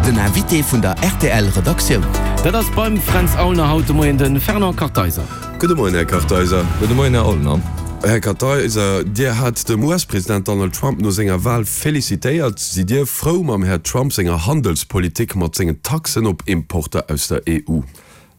Den Invité vun der rtl Redaktioun. Dat ass beim Fränz Aulner haut de Moien de Fernand Kartheiser. Gudde Moien, Här Kartheiser. Gudde Moien, Här Aulner. Här Kartheiser, Dir hat dem US-President Donald Trump no senger Wahl felicitéiert. Sidd Dir frou mam Här Trump senger Handelspolitik mat sengen Taxen op Importer aus der EU?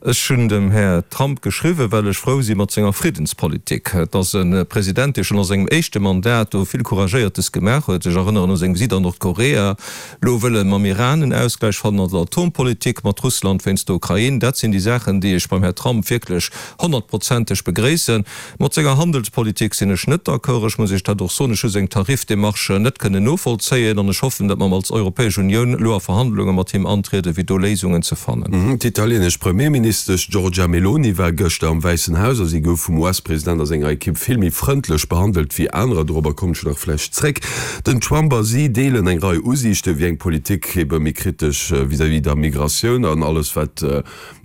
Ech hunn dem Här Trump geschriwwen, well ech frou si mat senger Friddenspolitik. Et ass e President, dee schonn a sengem éischte Mandat do vill Couragéiertes gemaach huet. Ech erënneren u seng Visitt an Nordkorea. Elo wëll e mam Iran en Ausgläich fannen an der Atompolitik, mat Russland wéinst der Ukrain. Dat sinn déi Saachen, déi ech beim Här Trump wierklech honnertprozenteg begréissen. Mat senger Handelspolitik sinn ech net d'accord. Ech muss Iech dat och soen, ech hu seng Tarifdémarche net kënnen novollzéien an ech hoffen, datt mer als Europäesch Unioun elo a Verhandlunge mat him antrieden, fir do Léisungen ze fannen. D'italieenesch Premierministesch Giorgia Meloni war gëschter am Wäissen Haus a si gouf vum US-President a senger Ekipp vill méi frëndlech behandelt wéi anerer. Dorobber kommen ech nach vläicht zréck. Den Trump a si deelen eng Rei Usiichten, wéi eng Politik ebe méi kritesch vis-à-vis der Migratioun an alles wat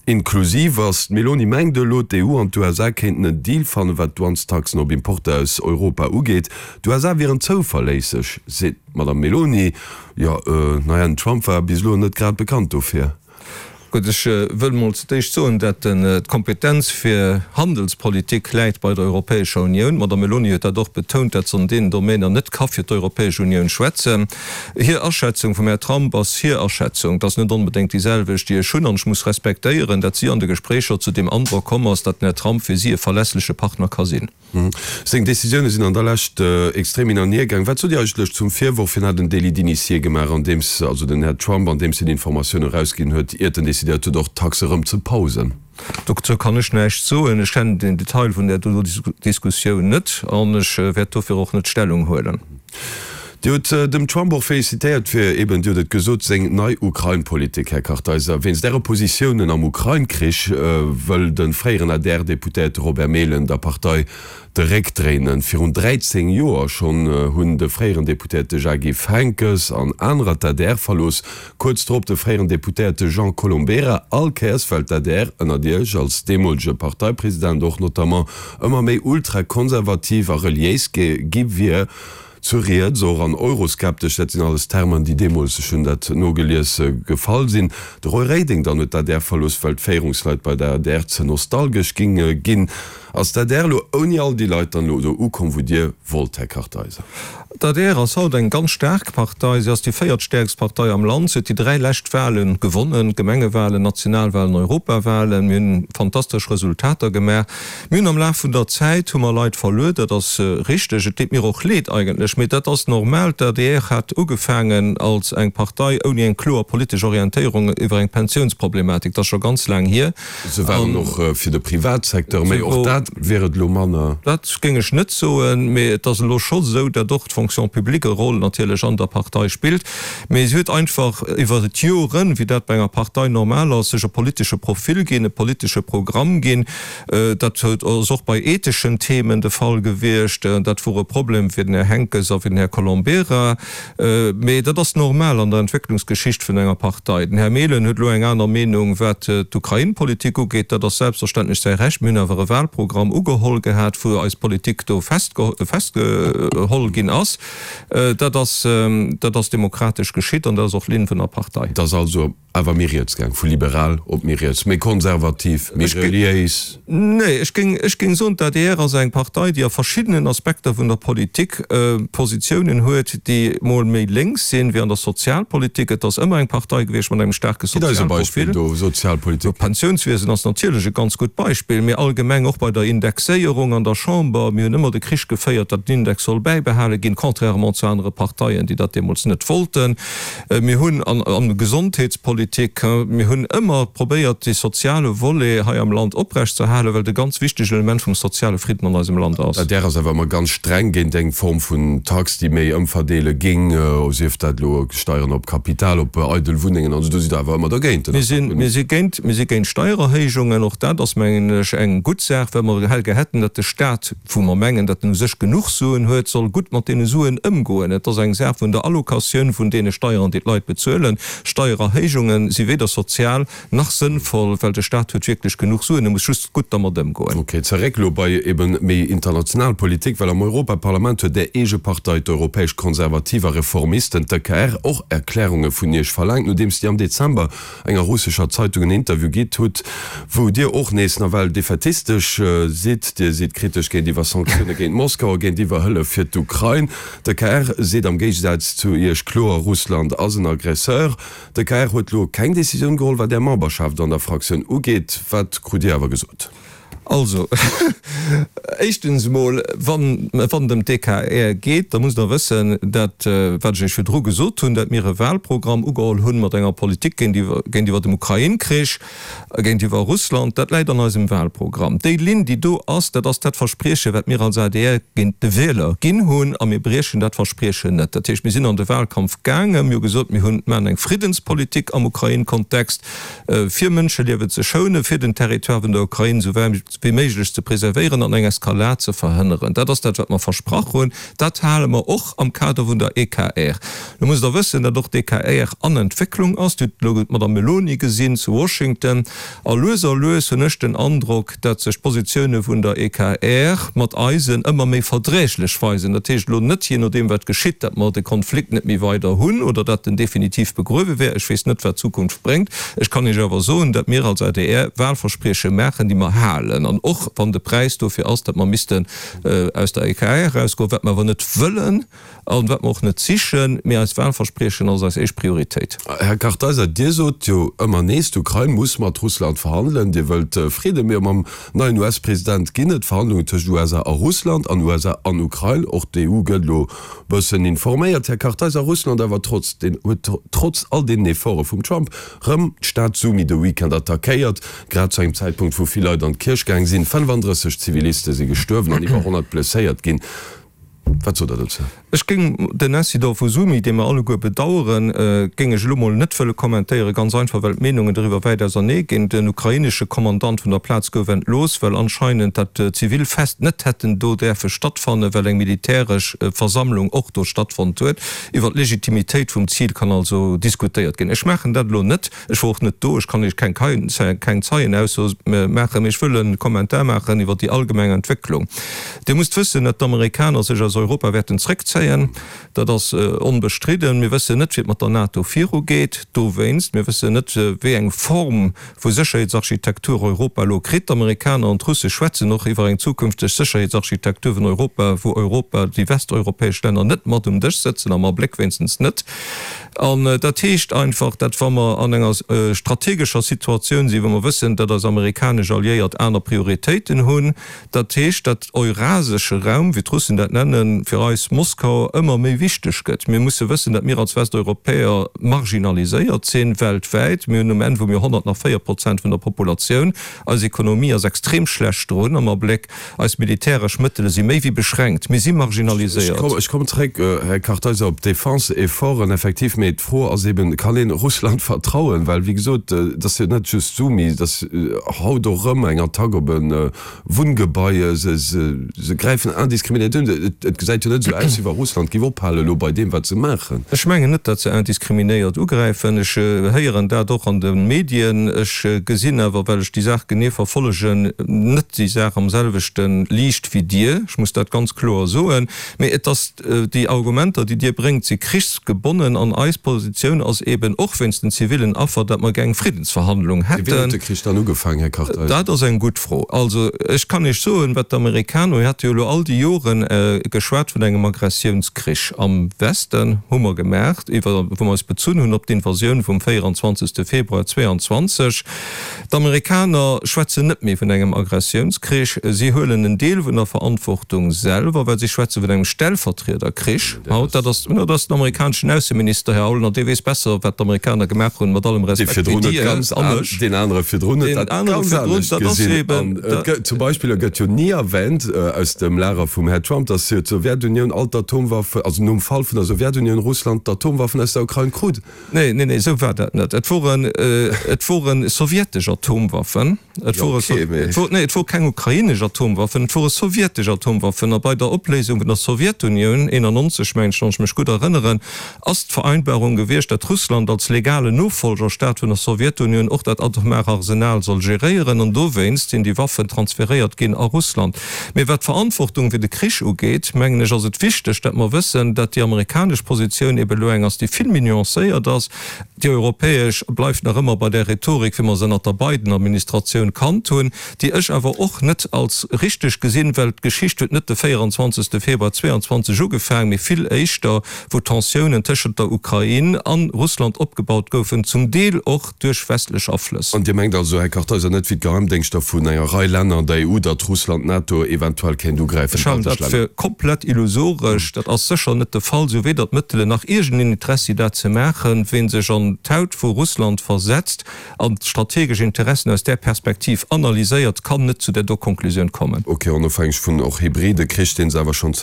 Inklusiv ass. D'Meloni mengt elo, d'EU an d'USA kéinten en Deal fannen, wat d'Douanestaxen op Importer aus Europa ugeet. D'USA wieren zouverléisseg, seet d'Madame Meloni. Jo, naja, den Trump war bis elo net grad bekannt dofir. Gutt, ech wëll mol zu d'éischt soen, dat d'Kompetenz fir Handelspolitik läit bei der Europäescher Unioun. D'Madame Meloni huet dat och betount, dat se an deenen Domainer net ka fir d'Europäesch Unioun schwätzen. Hir Aschätzung vum Här Trump ass hir Aschätzung. Et ass net onbedéngt déi selwecht, déi ech hunn. An ech muss respektéieren, datt si an de Gespréicher zu deem Androck komm ass, datt den Här Trump fir si e verlässleche Partner ka sinn. Seng Decisioune sinn an der Lescht extrem hin an hier gaang. Wat sot Dir eigentlech zum Virworf, hien hätt en Délit d'initié gemaach, andeems, also den Här Trump, andeems hien Informatioune erausginn huet, iert en decidéiert huet, och d'Taxe erëm ze pausen? Dozou kann ech näischt soen. Ech kennen den Detail vun där Diskussioun net an ech wäert dofir och net Stellung huelen. Dir hutt dem Trump och felicitéiert fir eben, Dir hutt et gesot, seng nei Ukrain-Politik, Här Kartheiser. Wéinst Äre Positiounen am Ukrain-Krich wëll de fréieren ADR-Deputéierte Robert Mehlen der Partei de Réck dréinen. Virun 13 Joer schonn hunn de fréieren Deputéierte Jacques Henckes an anerer d'ADR verlooss. Kuerz drop de fréieren Deputéierte Jean Colombera. All Kéiers well d'ADR ënnert Iech als deemolege Parteipresident och notamment ëmmer méi ultrakonservativ a reliéis gi wier. Zu riets och an euroskeptesch, dat sinn alles Termen, déi deemools, ech hunn dat nogelies, gefall sinn. De Roy Reding dann huet d'ADR verlooss, well d'Féierungsleit bei der adr ze nostalgesch géinge ginn. Ass d'ADR elo ouni all déi Leit dann elo do ukomm, wou Dir wollt, Här Kartheiser? D'ADR ass haut eng ganz staark Partei. Si ass déi véiertstäerkst Partei am Land. Si huet déi 3 lescht Wale gewonnen, Gemengewalen, Nationalwalen, Europawalen. Mir hunn fantastesch Resultater gemaach. Mir hunn am Laf vun der Zäit hu mer Leit verluer, dat ass richteg. Et deet mir och leed eigentlech, mee dat ass normal. D'adr hat ugefaangen als eng Partei ouni eng kloer politesch Orientéierung iwwer eng Pensiounsproblematik. Dat ass scho ganz laang hier. Se waren och fir de Privatsecteur, mee och dat wier et elo manner. Dat géing ech net soen, mee et ass elo scho esou, datt och d'Fonction publique e Roll natierlech an der Partei spillt. Mee si huet einfach iwwer d'Joren, wéi dat bei enger Partei normal ass, sech e politesche Profil ginn, e politesche Programm ginn. Dat ass och bei etheschen Themen de Fall gewiescht. Dat wor e Problem fir den Här Henckes a fir den Här Colombera. Mee dat ass normal an der Entwécklungsgeschicht vun enger Partei. Den Här Mehlen huet elo eng aner Meenung, wat d'Ukrain-Politik ugeet. Dat ass selbstverständlech säi Recht. Mir hunn awer e Wahlprogramm ugeholl gehat, wou eis Politik do festgeholl ginn ass. Dat ass, dat ass demokratesch geschitt an dat ass och d'Linn vun der Partei. Et ass also awer méi riets gaang, vu liberal op méi riets, méi konservativ, méi reliéis. Nee, ech géing, ech géing soen, d'ADR ass eng Partei, déi a verschiddenen Aspekter vun der Politik Positiounen huet, déi mol méi lénks sinn, wéi an der Sozialpolitik. Et ass ëmmer eng Partei gewiescht mat engem staarke Gitt eis e Beispill Sozialprofil. do, Sozialpolitik. D'Pensiounswiesen ass natierlech e ganz gutt Beispill, mee allgemeng och bei der Indexéierung an der Chamber. Mir hunn ëmmer de Krich geféiert, datt den Index soll bäibehale ginn, contrairement zu anere Parteien, déi dat deemools net wollten. Mir hunn an der Gesondheetspolitik, mir hunn ëmmer probéiert, dee soziale Volet hei am Land oprechtzeerhalen, well et e ganz wichtegt Element vum soziale Fridden an eisem Land ass. D'adr ass awer ëmmer ganz streng géint eng Form vun Tax, déi méi ëmverdeele géing, sief dat elo Steieren op Kapital, op eidel Wunnengen an esou. Do sidd Der awer ëmmer dergéint. Mir sinn, mir si géint, mir si géint Steiererhéijungen. Och dat ass, mengen ech, eng gutt Saach, well mer hellgär hätten, datt de Stat, wou mer mengen, datt en u sech genuch Suen huet, soll gutt mat deene Suen ëmgoen. Et ass eng Saach vun der Allocatioun vun deene Steieren, déi d'Leit bezuelen. Steiererhéijungen. Fuerderunge si weder sozial nach sënnvoll, well de Staat huet wierklech genuch Suen, e muss just gutt dermat ëmgoen. Ok, zeréck elo bei eben méi international Politik, well am Europaparlament huet Är eege Partei, d'Europäesch Konservativ a Reformisten, d'EKR, och Erklärunge vun Iech verlaangt, nodeems Dir am Dezember enger russescher Zeitung en Interview gitt hutt, wou Dir och nees nawell defätistesch sidd. Dir sidd kritesch géintiwwer Sanktioune géint Moskau a géintiwwer Hëllef fir d'Ukrain. D'EKR seet am Géigesaz zu Iech kloer, Russland ass en Aggresseur. De KR huet lo keng Decisioun geholl, wat Är Memberschaft an der Fraktioun ugeet. Wat krut Dir awer gesot? Also, éischtens emol, wann et ëm d'EKR geet, da musst Der wëssen, dat, wat ech Iech virdru gesot hunn, dat mir e Wahlprogramm ugeholl hunn mat enger Politik géintiwwer dem Ukrain-Krich, Géintiwwer Russland, dat läit an eisem Wahlprogramm. Déi Linn, déi do ass, dat ass dat Versprieche, wat mir als adr géint de Wieler ginn hunn, a mir briechen dat Verspriechen net. Dat heescht, mir sinn an de Wahlkampf gaangen, mir hu gesot, mir hunn, maachen eng Friddenspolitik am Ukrain-Kontext, fir Mënscheliewe ze schounen, fir den Territoire vun der Ukrain esou wäit wéi méiglech ze preservéieren an eng Eskalad ze verhënneren. Dat ass dat, wat mer versprach hunn. Dat hale mer och am Kader vun der EKR. Lo musst Der wëssen, datt och d'EKR an Entwécklung ass. Dir hutt elo d'Madame Meloni gesinn zu Washington. A lues a lues hunn ech den Androck, datt sech d'Positioune vun der EKR mat eisen ëmmer méi verdräglech weisen. Dat heescht elo net, jee nodeem wat geschitt, datt mer de Konflikt net méi weider hunn oder datt en definitiv begruewe wär. Ech weess net, wat d'Zukunft bréngt. Ech kann Iech awer soen, datt mir als adr Wahlversprieche maachen, déi mer halen. An och wann de Präis dofir ass, datt mer missten aus der EKR erausgoen, wat mer awer net wëllen, An wat mer och net sichen, mee eist Wahlverspriechen ass eis éischt Prioritéit. Här Kartheiser, Dir sot jo ëmmer nees, d'Ukrain muss mat Russland verhandelen. Dir wëllt Fridden, mee mam neien US-President ginn et Verhandlungen tëscht USA a Russland an USA an Ukrain. Och d'EU gëtt elo bëssen informéiert. Här Kartheiser, Russland awer trotz den huet trotz all deenen Efforte vum Trump rëm d'Stad Sumy de Weekend attackéiert, grad zu engem Zäitpunkt wou vill Leit an d'Kierch gaang sinn. 35 Ziviliste si gestuerwen an iwwer 100 blesséiert ginn. Wat sot Der dozou? Ech géing den Incident vu Sumy, dee mer alleguer bedaueren, géing ech elo mol net wëlle kommentéieren, ganz einfach well d'Meenungen doriwwer wäit ausernee ginn. Den ukrainesche Kommandant vun der Plaz gouf entlooss, well anscheinend dat zivil Fest net hätten do däerfe stattfannen, well eng militäresch Versammlung och do stattfonnt huet. Iwwer d'Legitimitéit vum Zil kann also diskutéiert ginn. Ech maachen dat elo net. Ech wor och net do, ech kann Iech keng keng Zeienausso maachen, mee ech wëll e Kommentar maachen iwwer déi allgemeng Entwécklung. Dir musst wëssen, datt d'Amerikaner sech aus Europa wäerten zréckzéien. Dat ass onbestridden. Mir wëssen net, wéi et mat der NATO virugeet dowéinst. Mir wëssen net, wéi eng Form vu Sécherheetsarchitektur Europa elo kritt. D'Amerikaner an d'Russe schwätzen och iwwer eng zukünfteg Sécherheetsarchitektur vun Europa, wou Europa, déi westeuropäesch Länner net mat um Dësch sëtzen, am Abléck wéinstens net. An dat heescht einfach, dat wa mer an enger strategescher Situatioun sinn, wou mer wëssen, dat eis amerikanesch Alliéiert aner Prioritéiten hunn, dat heescht, dat eurasesche Raum, wéi d'Russen dat nennen, fir eis Moskau ëmmer méi wichteg gëtt. Mir musse wëssen, dat mir als Westeuropäer marginaliséiert sinn weltwäit. Mir hunn um Enn, wou mir 100 nach 4 Prozent vun der Populatioun, eis Ekonomie ass extrem schlecht drun am Abléck. Eis militäresch Mëttele si méi wéi beschränkt. Mir si marginaliséiert. Ech kommen zréck, Här Kartheiser, op d'Defense-Efforten, effektiv. Mee d'Fro ass eben, Kann een Russland vertrauen? Well, wéi gesot, et ass jo net just Sumy, et ass haut och erëm eng Attack op e Wunngebai. Se gräifen indiskriminéiert un. Et gesäit jo net esou aus, wéi wa Russland géif ophalen elo bei deem, wat se maachen. Ech mengen net, datt se indiskriminéiert ugräifen. Ech héieren dat och an de Medien. Ech gesinn awer, well ech déi Saach genee verfollegen, net déi Saach am selwechte Liicht wéi Dir. Ech muss dat ganz kloer soen. Mee et ass, déi Argumenter, déi Dir bréngt, si krichsgebonnen. An eis Positioun ass eeben, och wéinst den zivillen Affer, datt mer gär eng Friddensverhandlung hätten. Wien huet de Krich dann ugefaangen, Här Kartheiser? Dat ass eng gutt Fro. Also, ech kann Iech soen, wat d'Amerikaner, mir hate jo elo all déi Joren geschwat vun engem Aggressiounskrich am Westen, hu mer gemaach, iwwer, wou mer eis bezunn hunn op d'Invasioun vum 24. Februar 22. D'Amerikaner schwätzen net méi vun engem Aggressiounskrich. Si huelen en Deel vun der Verantwortung selwer, well si schwätze vun engem Stellvertriederkrich haut. Dat ass, dat ass den amerikaneschen Ausseminister, Här Aulner, dee weess besser, wat d'Amerikaner gemaach hunn, mat allem Respekt, wéi Dir an ech. Deen anere virdrun huet dat ganz anescht gesinn. An et gëtt zum Beispill, e gëtt jo ni erwähnt aus dem Lager vum Här Trump, datt jo d'Sowjetunioun all d'Atom. d'Atomwaffen, also nom Fall vun der Sowjetunioun, Russland d'Atomwaffen aus der Ukrain krut. Nee, nee, nee, esou war dat net. Et woren, et wore sowjetesch Atomwaffen. Et wore, et wor, nee, et wor keng ukrainesch Atomwaffen, et wore sowjetesch Atomwaffen. A bei der Opléisung vun der Sowjetunioun, 91 mengen ech, wann ech mech gutt erënneren, ass d'Vereinbarung gewiescht, datt Russland als legalen Nofolgerstaat vun der Sowjetunioun och dat atomare Arsenal soll geréieren. An dowéinst sinn déi Waffen transferéiert ginn a Russland. Mee wat d'Verantwortung fir de Krich ugeet, mengen ech, ass et wichteg, datt mer wëssen, datt déi amerikanesch Positioun eben elo eng ass, déi vill méi nuancéiert ass. Déi europäesch bleift nach ëmmer bei där Rhetorik, wéi mer se ënnert der Biden-Administratioun kannt hunn, déi ech awer och net als richteg gesinn, well d'Geschicht huet net de 24. Februar 22 ugefaang, mee vill éischter, wou d'Tensiounen tëschent der Ukrain a Russland opgebaut goufen, zum Deel och duerch westlech Aflëss. An Dir mengt also, Här Kartheiser, net wéi d'Geheimdéngschter vun enger Rei Länner an der EU, datt Russland d'NATO eventuell kéint ugräifen, Ech halen d'baltesch dat Länner? fir komplett illusoresch. Dat ass sécher net de Fall. Si hu weder d'Mëttelen nach iergendeen Interessi dat ze maachen. Ween sech an d'Haut vu Russland versetzt an d'strategesch Interessen aus där Perspektiv analyséiert, kann net zu där do Konklusioun kommen. Ok, onofhängeg vun och hybride Krich, deen se awer schonn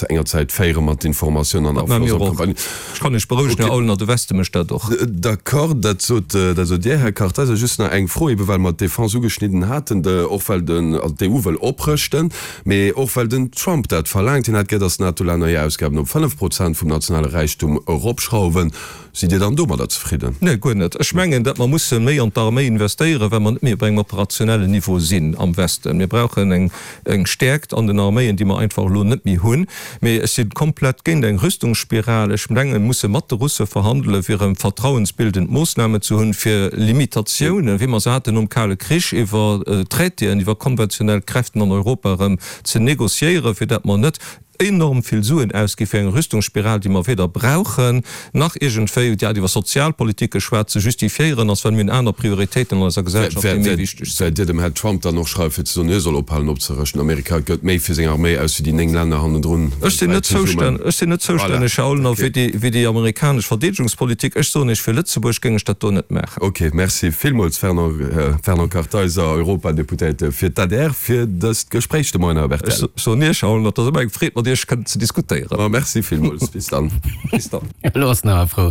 enger Zäit féiere mat Informatioun an Dat maache Afloss mir a och. Campagnen. Ech kann Iech berouegen, Här Aulner, de Weste mécht dat och. D'accord, dat sot, dat sot Dir, Här Kartheiser. Just nach eng Fro, ebe well mer d'Defense ugeschnidden haten, och well den, also d'EU wëll oprëschten, mee och well den Trump dat verlaangt. Hien hätt gär, datt d'NATO-Länner hir Ausgaben op 5 Prozent vum nationale Räichtum eropschrauwen. Sidd Dir dann domadder zefridden? Nee, guer net. Ech mengen, datt mer musse méi an d'Arméi investéieren, well mer net méi op engem operationellen Niveau sinn am Westen. Mir brauchen eng eng Stäerkt an den Arméien, déi mer einfach elo net méi hunn. Mee ech si komplett géint eng Rüstungsspiral. Ech mengen, mir musse mat de Russe verhandelen, fir erëm vertrauensbildend Moossnamen ze hunn, fir Limitatiounen, wéi mer se haten nom Kale Krich, iwwer Traitéen, iwwer konventionell Kräften an Europa erëm ze négociéieren, fir datt mer net enorm vill Suen ausgi fir eng Rüstungsspiral, déi mer weder brauchen, nach iergendwéi, Dir hat iwwer Sozialpolitik geschwat, ze justifiéieren ass, well mir hunn aner Prioritéiten an eiser Gesellschaft, déi méi wichteg sinn. Wäert Dir dem Här Trump dann och schreiwen, fir ze soen, hie soll ophalen opzerëschten? Amerika gëtt méi fir seng Arméi aus wéi déi 9 Länner hannendrun Ech sinn net weltwäit zesummen. Ech sinn net zoustänneg, Här Aulner, fir déi, fir déi amerikanesch Verdeedegungspolitik. Ech soen Iech, fir Lëtzebuerg géing ech dat do net maachen. Ok, merci villmools Fernand, Fernand Kartheiser, Europadeputéierte fir d'ADR, fir dëst Gespréich de Moien op rtl. Ech soen Iech allen, et ass ëmmer eng Freed mat Iech kënnen ze diskutéieren. Ma merci villmools. Bis dann. Bis dann. Elo ass nach frou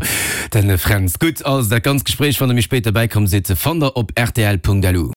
den Fränz. Gutt, also dat ganzt Gespréich, wann der méi spéit derbäi komm sidd, fannt der op rtl.lu.